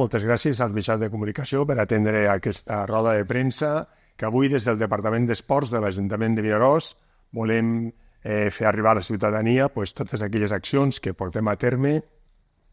Moltes gràcies als mitjans de comunicació per atendre aquesta roda de premsa que avui des del Departament d'Esports de l'Ajuntament de Vinaròs volem fer arribar a la ciutadania totes aquelles accions que portem a terme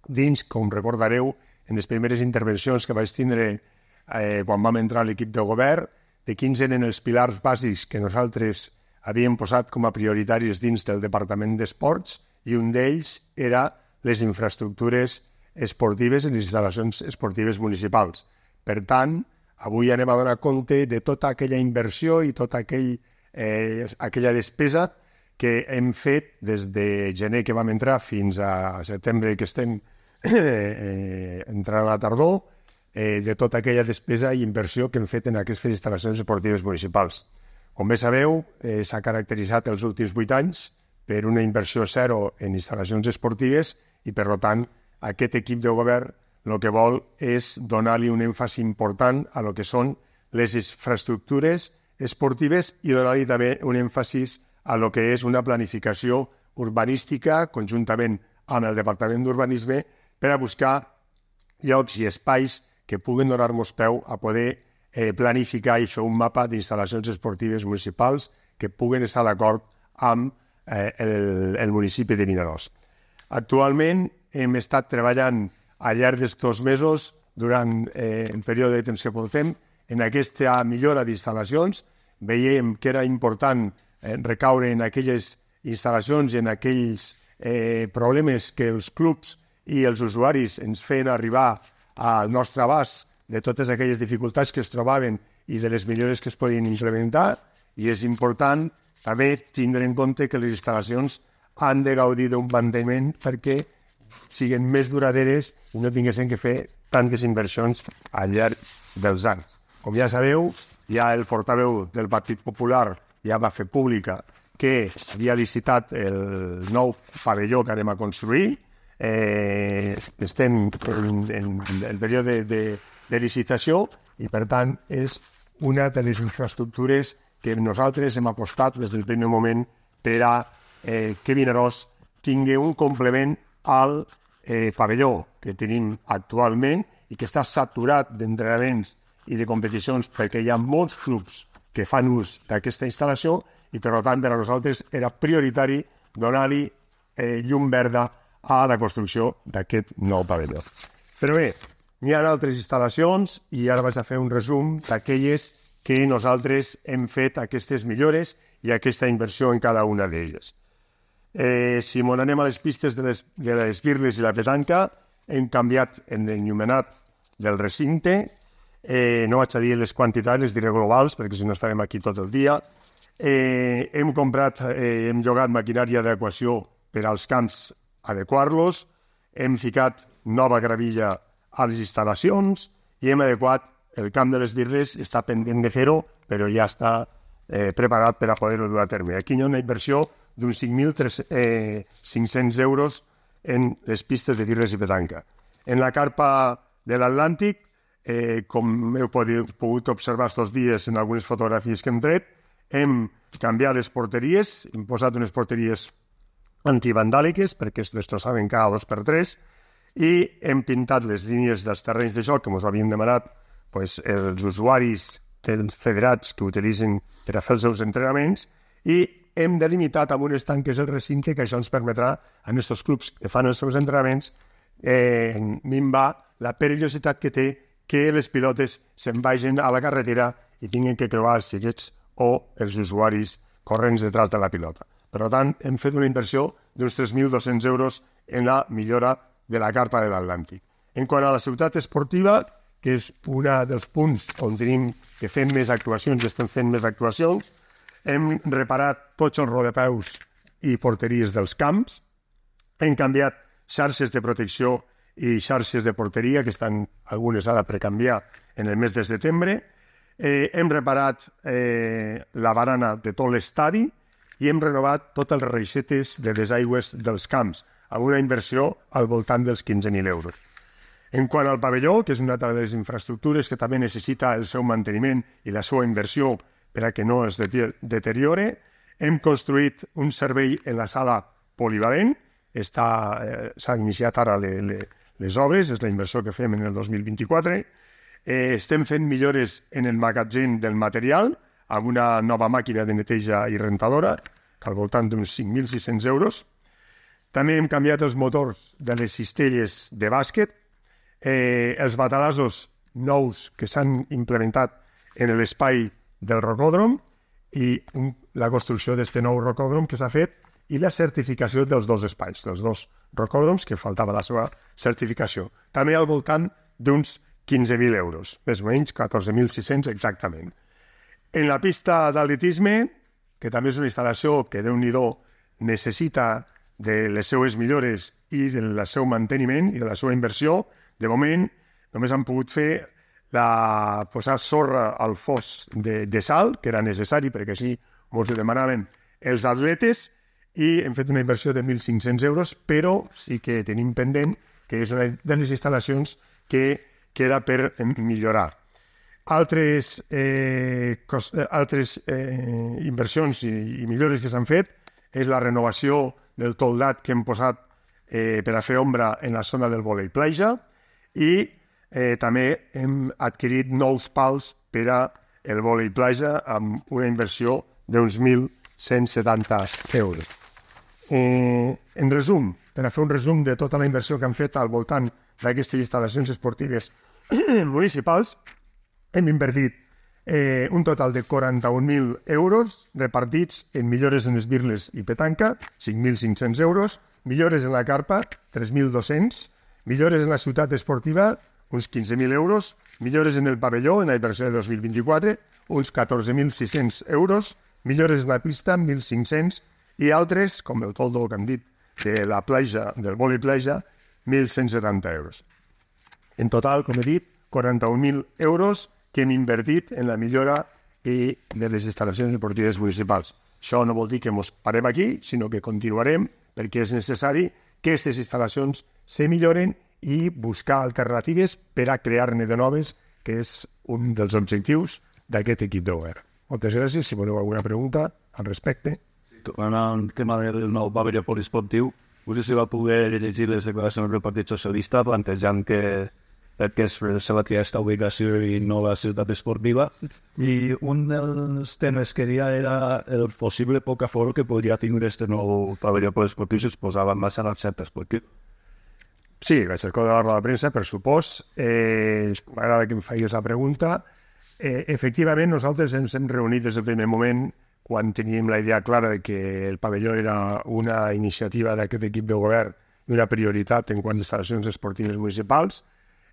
dins, com recordareu, en les primeres intervencions que vaig tindre quan vam entrar a l'equip de govern, de quins eren els pilars bàsics que nosaltres havíem posat com a prioritaris dins del Departament d'Esports, i un d'ells era les infraestructures esportives i les instal·lacions esportives municipals. Per tant, avui anem a donar compte de tota aquella inversió i tota aquella despesa que hem fet des de gener que vam entrar fins a setembre que estem entrant a la tardor, de tota aquella despesa i inversió que hem fet en aquestes instal·lacions esportives municipals. Com bé sabeu, s'ha caracteritzat els últims 8 anys per una inversió zero en instal·lacions esportives i, per tant, aquest equip de govern el que vol és donar-li un èmfasi important a lo que són les infraestructures esportives i donar-li també un èmfasi a lo que és una planificació urbanística conjuntament amb el Departament d'Urbanisme per a buscar llocs i espais que puguen donar-nos peu a poder planificar i fer un mapa d'instal·lacions esportives municipals que puguen estar d'acord amb el municipi de Vinaròs. Actualment hem estat treballant al llarg d'estos mesos, durant el període de temps que portem, en aquesta millora d'instal·lacions. Veiem que era important recaure en aquelles instal·lacions i en aquells problemes que els clubs i els usuaris ens feien arribar al nostre abast de totes aquelles dificultats que es trobaven i de les millores que es podien implementar, i és important també tindre en compte que les instal·lacions han de gaudir d'un manteniment perquè siguin més duraderes i no tinguessin que fer tantes inversions al llarg dels anys. Com ja sabeu, ja el portaveu del Partit Popular ja va fer pública que s'havia licitat el nou pavelló que anem a construir. Estem en el període de licitació i, per tant, és una de les infraestructures que nosaltres hem apostat des del primer moment per a que Vinaròs tingui un complement al pavelló que tenim actualment i que està saturat d'entrenaments i de competicions perquè hi ha molts clubs que fan ús d'aquesta instal·lació i, per tant, per a nosaltres era prioritari donar-li llum verda a la construcció d'aquest nou pavelló. Però bé, hi ha altres instal·lacions i ara vaig a fer un resum d'aquelles que nosaltres hem fet aquestes millores i aquesta inversió en cada una d'elles. Si m'on anem a les pistes de les birles i la petanca, hem canviat en l'enllumenat del recinte. No vaig a dir les quantitats, les diré globals, perquè si no estarem aquí tot el dia. Hem llogat maquinària d'adequació per als camps adequar-los, hem ficat nova gravilla a les instal·lacions i hem adequat el camp de les birles. Està pendent de fer-ho, però ja està preparat per a poder-ho dur a terme. Aquí hi ha una inversió d'uns 5.500 euros en les pistes de birles i petanca. En la carpa de l'Atlàntic, com heu pogut observar estos dies en algunes fotografies que hem tret, hem canviat les porteries, hem posat unes porteries antivandàliques perquè es destrossaven cada 2x3 i hem pintat les línies dels terrenys de joc que ens havien demanat els usuaris dels federats que utilitzen per a fer els seus entrenaments i hem delimitat amb unes tanques el recinte que això ens permetrà a aquests clubs que fan els seus entrenaments minvar la perillositat que té que les pilotes se'n vagin a la carretera i tinguin que creuar els xiquets o els usuaris corrents detrás de la pilota. Per tant, hem fet una inversió d'uns 3.200 euros en la millora de la carpa de l'Atlàntic. En quant a la ciutat esportiva, que és un dels punts on tenim que fer més actuacions, estem fent més actuacions, hem reparat tots els rodapeus i porteries dels camps, hem canviat xarxes de protecció i xarxes de porteria, que estan algunes ara per canviar en el mes de setembre, hem reparat la barana de tot l'estadi i hem renovat totes les reixetes de les aigües dels camps, amb una inversió al voltant dels 15.000 euros. En quant al pavelló, que és una de les infraestructures que també necessita el seu manteniment i la seva inversió per a que no es deteriore, hem construït un servei en la sala polivalent, s'ha iniciat ara les obres, és la inversió que fem en el 2024. Estem fent millores en el magatzem del material, amb una nova màquina de neteja i rentadora, al voltant d'uns 5.600 euros. També hem canviat els motors de les cistelles de bàsquet, els batalassos nous que s'han implementat en l'espai del rocòdrom i la construcció d'aquest nou rocòdrom que s'ha fet i la certificació dels dos espais, dels dos rocòdroms que faltava la seva certificació. També al voltant d'uns 15.000 euros, més o menys 14.600 exactament. En la pista d'atletisme, que també és una instal·lació que Déu-n'hi-do necessita de les seues millores i del seu manteniment i de la seva inversió, de moment només han pogut fer posar sorra al fos de sal, que era necessari perquè així ens ho demanaven els atletes, i hem fet una inversió de 1.500 euros, però sí que tenim pendent que és una de les instal·lacions que queda per millorar. Altres inversions i millores que s'han fet és la renovació del toldat que hem posat per a fer ombra en la zona del vòlei platja i també hem adquirit nous pals per a el vòlei platja amb una inversió d'uns 1.170 euros. En resum, per a fer un resum de tota la inversió que han fet al voltant d'aquestes instal·lacions esportives municipals, hem invertit un total de 41.000 euros repartits en millores en esbirles i petanca, 5.500 euros, millores en la carpa, 3.200, millores en la ciutat esportiva, uns 15.000 euros, millores en el pavelló, en la inversió de 2024, uns 14.600 euros, millores en la pista, 1.500, i altres, com el toldo que hem dit, de la platja, del vòlei platja, 1.170 euros. En total, com he dit, 41.000 euros que hem invertit en la millora de les instal·lacions esportives municipals. Això no vol dir que ens parem aquí, sinó que continuarem perquè és necessari que aquestes instal·lacions se milloren i buscar alternatives per a crear-ne de noves, que és un dels objectius d'aquest equip de govern. Moltes gràcies. Si voleu alguna pregunta al respecte. Tornant al tema del nou pavelló poliesportiu, no sé si va poder llegir les declaracions del Partit Socialista plantejant que es fa aquesta ubicació i no la ciutat esportiva, i un dels temes que hi ha era el possible poc aforo que podria tenir aquest nou pavelló poliesportiu si es posava en marxa el centre esportiu. Sí, vaig escoltar la roda de premsa, per supost. M'agrada que em facis la pregunta. Efectivament, nosaltres ens hem reunit des del primer moment quan teníem la idea clara de que el pavelló era una iniciativa d'aquest equip de govern i una prioritat en quant a instal·lacions esportives municipals.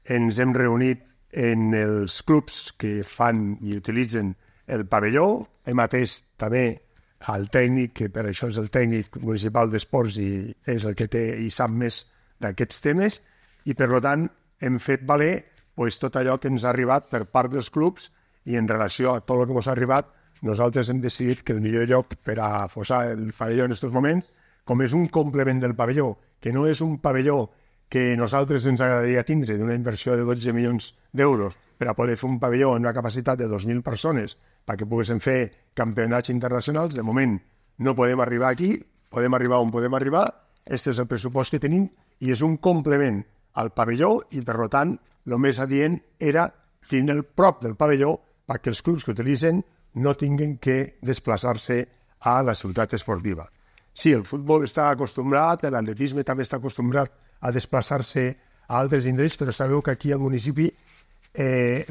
Ens hem reunit en els clubs que fan i utilitzen el pavelló. Hem atès també al tècnic, que per això és el tècnic municipal d'esports i és el que té i sap més d'aquests temes, i per tant hem fet valer tot allò que ens ha arribat per part dels clubs, i en relació a tot el que ens ha arribat, nosaltres hem decidit que el millor lloc per a posar el pavelló en aquests moments, com és un complement del pavelló, que no és un pavelló que nosaltres ens agradaria tindre d'una inversió de 12 milions d'euros per a poder fer un pavelló amb una capacitat de 2.000 persones perquè poguéssim fer campionats internacionals. De moment no podem arribar aquí, podem arribar on podem arribar, aquest és el pressupost que tenim i és un complement al pavelló i, per tant, el més adient era tenir el prop del pavelló perquè els clubs que utilitzen no tinguin que desplaçar-se a la ciutat esportiva. Sí, el futbol està acostumbrat, l'atletisme també està acostumbrat a desplaçar-se a altres indrets, però sabeu que aquí al municipi,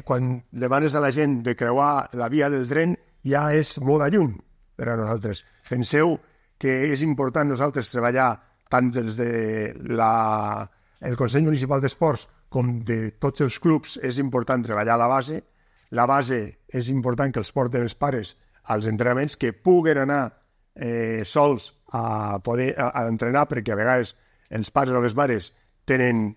quan demanes a la gent de creuar la via del tren, ja és molt lluny per a nosaltres. Penseu que és important nosaltres treballar tant des del Consell Municipal d'Esports com de tots els clubs, és important treballar a la base. La base és important que els porten els pares als entrenaments, que puguen anar sols a poder entrenar, perquè a vegades els pares o les mares tenen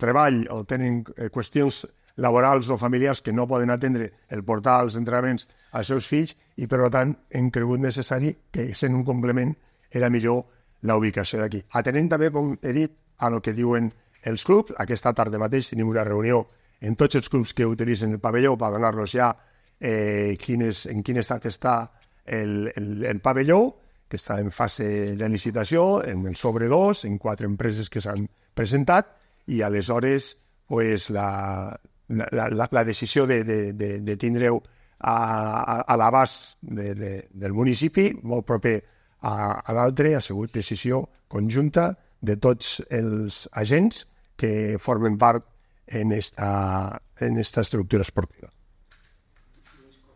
treball o tenen qüestions laborals o familiars que no poden atendre el portar als entrenaments als seus fills, i per tant hem cregut necessari que, sent un complement, era millor la ubicació d'aquí. Atenent també, com he dit, a el que diuen els clubs. Aquesta tarda mateix tenim una reunió en tots els clubs que utilitzen el pavelló per donar-los ja en quin estat està el pavelló, que està en fase de licitació, en el sobre 2, en 4 empreses que s'han presentat, i aleshores pues, la decisió de tindre-ho a l'abast del municipi, molt proper a l'altre, ha sigut decisió conjunta de tots els agents que formen part en esta estructura esportiva.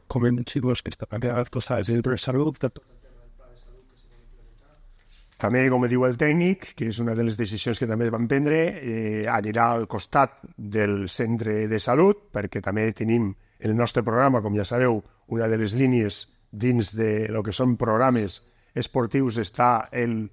Comencimos que està canviant coses de salut. També, com diu el tècnic, que és una de les decisions que també van prendre, anirà al costat del centre de salut, perquè també tenim en el nostre programa, com ja sabeu, una de les línies dins de lo que són programes esportius està el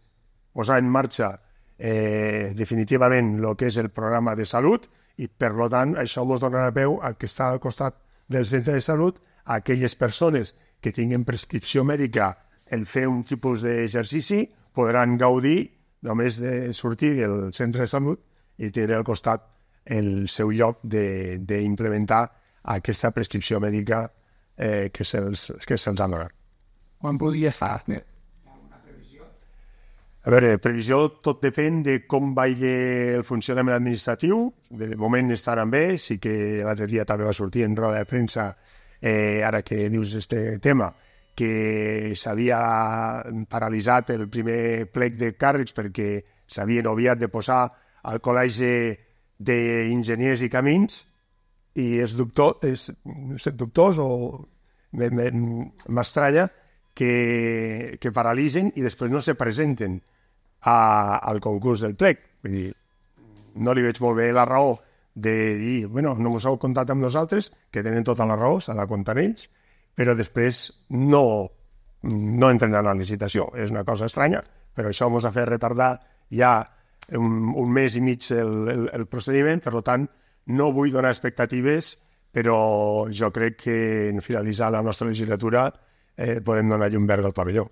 posar en marxa definitivament el que és el programa de salut, i per tant això ens donarà peu a que està al costat del centre de salut a aquelles persones que tinguin prescripció mèdica el fer un tipus d'exercici podran gaudir només de sortir del centre de salut i tenir al costat el seu lloc d'implementar aquesta prescripció mèdica que se'ls ha donat. Quan podria estar? A veure, previsió tot depèn de com vagi el funcionament administratiu. De moment estaran bé, sí que l'altre dia també va sortir en roda de premsa, ara que dius este tema, que s'havia paralitzat el primer plec de càrrecs perquè s'havien obviat de posar al Col·legi d'Enginyers i Camins, i és dubtós o m'estranya que paralitzen i després no se presenten al concurs del plec. Vull dir, no li veig molt bé la raó de dir, bueno, no us heu comptat amb nosaltres, que tenen tota la raó, s'ha de comptar ells, però després no entren a la licitació. És una cosa estranya, però això ens ha fet retardar ja un mes i mig el procediment, per tant, no vull donar expectatives, però jo crec que en finalitzar la nostra legislatura podem donar llum verda al pavelló.